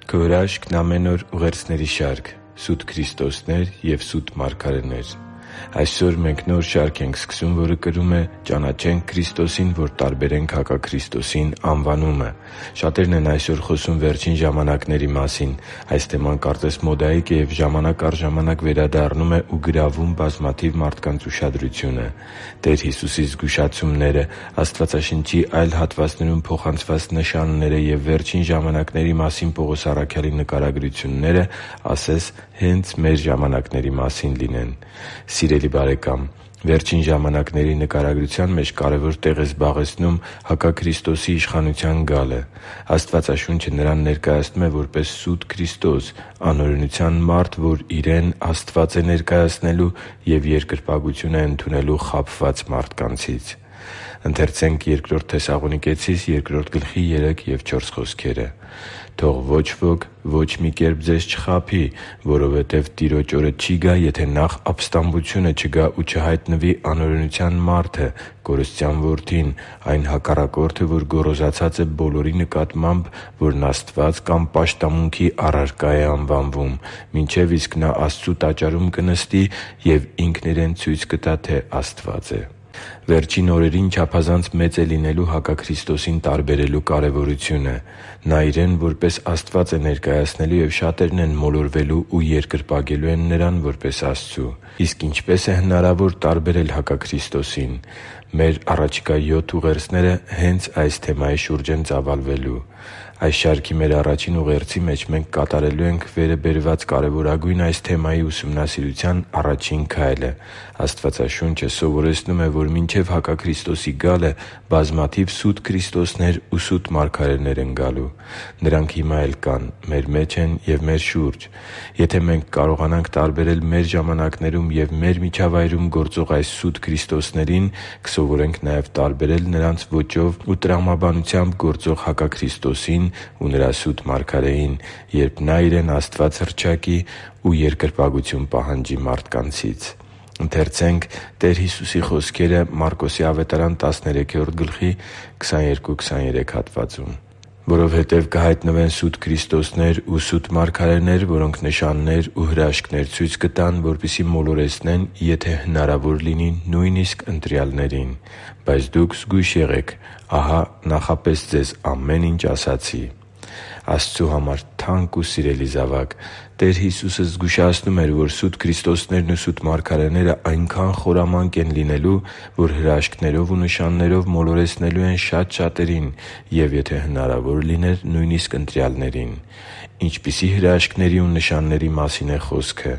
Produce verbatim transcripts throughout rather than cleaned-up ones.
Քո հրաշքն ամեն օր ուղերձների շարք՝ Սուտ Քրիստոսներ և սուտ մարգարեներ։ Այսօր մենք նոր շարք ենք սկսում, որը կրում է «Ճանաչենք Քրիստոսին, որ տարբերենք հակաքրիստոսին» անվանումը։ Շատերն են այսօր խոսում վերջին ժամանակների մասին։ Այս թեման կարծես մոդայիկ է և ժամանակ առ ժամանակ վերադառնում է ու գրավում բազմաթիվ մարդկանց ուշադրությունը։ Տեր Հիսուսի զգուշացումները, Աստվածաշնչի այլ հատվածներում փոխանցված նշանները և վերջին ժամանակների մասին Պողոս առաքյալի նկարագրությունները ասես հենց մեր ժամանակների մասին լինեն։ Սիրելի՛ բարեկամ, վերջին ժամանակների նկարագրության մեջ կարևոր տեղ է զբաղեցնում հակաքրիստոսի իշխանության գալը։ Աստվածաշունչը Նրան ներկայացնում է որպես սուտ Քրիստոս՝ անօրենության մարդ, որ իրեն Աստված է ներկայացնելու և երկրպագություն է ընդունելու խաբված մարդկանցից։ «Թող ոչ ոք ոչ մի կերպ ձեզ չխաբի, որովհետև Տիրոջ օրը չի գա, եթե նախ ապստամբությունը չգա ու չհայտնվի անօրենության մարդը՝ կորստյան որդին, այն հակառակորդը, որ գոռոզացած է բոլորի նկատմամբ, որն Աստված կամ պաշտամունքի առարկա է անվանվում, մինչև իսկ նա Աստծու տաճարում կնստի և ինքն իրեն ցույց կտա, թե Աստված է» (Բ Թեսաղոնիկեցիս ևս երկրորդ գլխի երեք և չորս խոսքերը)։ Վերջին օրերին չափազանց մեծ է լինելու հակաքրիստոսին տարբերելու կարևորությունը։ Նա Իրեն որպես Աստված է ներկայացնելու, և շատերն են մոլորվելու ու երկրպագելու են Նրան որպես Աստծու։ Իսկ ինչպե՞ս է հնարավոր տարբերել հակաքրիստոսին։ Մեր առաջիկա յոթ ուղերձները հենց այս թեմայի շուրջ են ծավալվելու։ Այս շարքի մեր առաջին ուղերձի մեջ մենք կատարելու ենք վերը բերված կարևորագույն այս թեմայի ուսումնասիրության առաջին քայլը։ Աստվածաշունչը սովորեցնում է, որ մինչև հակաքրիստոսի գալը բազմաթիվ սուտ Քրիստոսներ ու սուտ մարգարեներ են գալու։ Նրանք հիմա էլ կան, մեր մեջ են և մեր շուրջ։ Եթե մենք կարողանանք տարբերել մեր ժամանակներում և մեր միջավայրում գործող այս սուտ Քրիստոսներին, կսովորենք նաև տարբերել նրանց ոճով ու տրամաբանությամբ գործող հակաքրիստոսին ու Նրա սուտ մարգարեին, երբ Նա Իրեն Աստված հռչակի ու երկրպագություն պահանջի մարդկանցից։ «Որովհետև կհայտնվեն սուտ քրիստոսներ ու սուտ մարգարեներ, որոնք նշաններ ու հրաշքներ ցույց կտան, որպեսզի մոլորեցնեն, եթե հնարավոր լինի, նույնիսկ ընտրյալներին։ Բայց դուք զգույշ եղեք. ահա նախապես ձեզ ամեն ինչ ասացի» (Մարկոս Ավետարան տասներեքերորդ գլխի երկրորդ հատվածում)։ Աստծու համար թանկ ու սիրելի՛ զավակ, Տեր Հիսուսը զգուշացնում էր, որ սուտ Քրիստոսներն ու սուտ մարգարեները այնքան խորամանկ են լինելու, որ հրաշքներով ու նշաններով մոլորեցնելու են շատ շատերին և, եթե հնարավոր լիներ, նույնիսկ ընտրյալներին։ Ինչպիսի՞ հրաշքների ու նշանների մասին է խոսքը։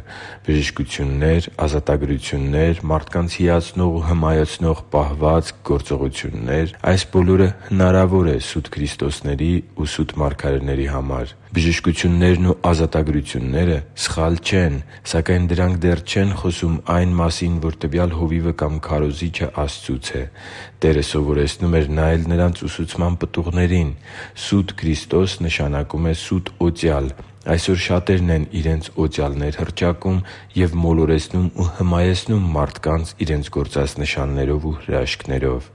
Բժշկություննե՞ր, ազատագրություննե՞ր, մարդկանց հիացնող ու հմայեցնող պահվածք, գործողություննե՞ր։ Այս բոլորը հնարավոր է սուտ Քրիստոսների ու սուտ մարգարեների համար։ Բժշկություններն ու ազատագրությունները սխալ չեն, սակայն դրանք դեռ չեն խոսում այն մասին, որ տվյալ հովիվը կամ քարոզիչը Աստծուց է։ Տերը սովորեցնում էր նայել նրանց ուսուցման պտուղներին։ Սուտ Քրիստոս նշանակում է սուտ օծյալ։ Այսօր շատերն են իրենց օծյալներ հռչակում և մոլորեցնում ու հմայեցնում մարդկանց իրենց գործած նշաններով ու հրաշքներով։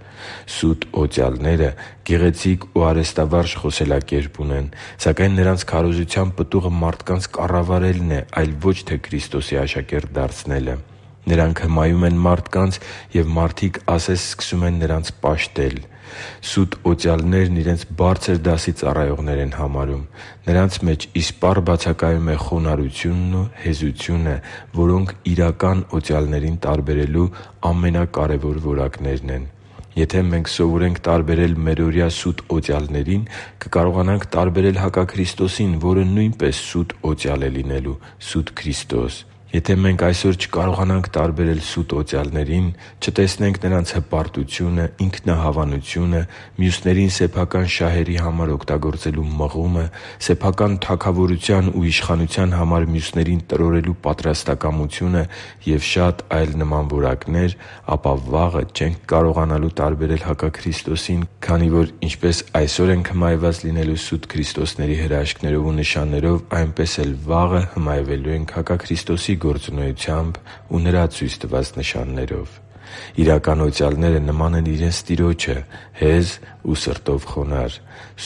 Սուտ օծյալները գեղեցիկ ու արհեստավարժ խոսելակերպ ունեն, սակայն նրանց քարոզության պտուղը մարդկանց կառավարելն է, այլ ոչ թե Քրիստոսի աշակերտ դարձնելը։ Նրանք հմայում են մարդկանց, և մարդիկ ասես սկսում են նրանց պաշտել։ Սուտ օծյալներն իրենց բարձր դասի ծառայողներ են համարում։ Նրանց մեջ իսպառ բացակայում է խոնարհությունն ու հեզությունը, որոնք իրական օծյալներին տարբերելու ամենակարևոր որակներն են։ Եթե մենք սովորենք տարբերել մերօրյա սուտ օծյալներին, կկարողանանք տարբերել հակաքրիստոսին, որը նույնպես սուտ օծյալ է լինելու՝ սուտ Քրիստոս։ Եթե մենք այսօր չկարողանանք տարբերել սուտ օծյալներին, չտեսնենք նրանց հպարտությունը, ինքնահավանությունը, մյուսներին սեփական շահերի համար օգտագործելու մղումը, սեփական թագավորության ու իշխանության համար մյուսներին տրորելու պատրաստակամությունը և շատ այլ նման որակներ, ապա վաղը չենք կարողանալու տարբերել հակաքրիստոսին, քանի որ ինչպես այսօր ենք հմայված լինելու սուտ Քրիստոսների հրաշքներով ու նշաններով, այնպես էլ վաղը հմայվելու ենք հակաքրիստոսի գործունեությամբ ու Նրա ցույց տված նշաններով։ Իրական օծյալները նման են իրենց Տիրոջը՝ հեզ ու սրտով խոնարհ։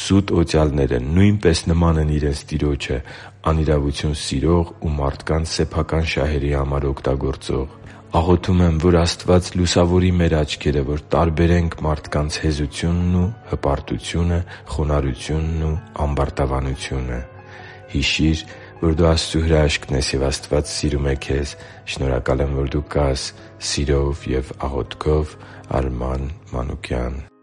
Սուտ օծյալները նույնպես նման են իրենց Տիրոջը՝ անիրավություն սիրող ու մարդկանց սեփական շահերի համար օգտագործող։ Աղոթում եմ, որ Աստված լուսավորի մեր աչքերը, որ տարբերենք մարդկանց հեզությունն ու հպարտությունը, խոնարհությունն ու ամբարտավանությունը։ Հիշի՛ր, որ դու Աստծո հրաշքն ես, և Աստված սիրում է քեզ։ Շնորհակալ եմ, որ դու կա՛ս Սիրով և աղոթքով։ Արման Մանուկյան։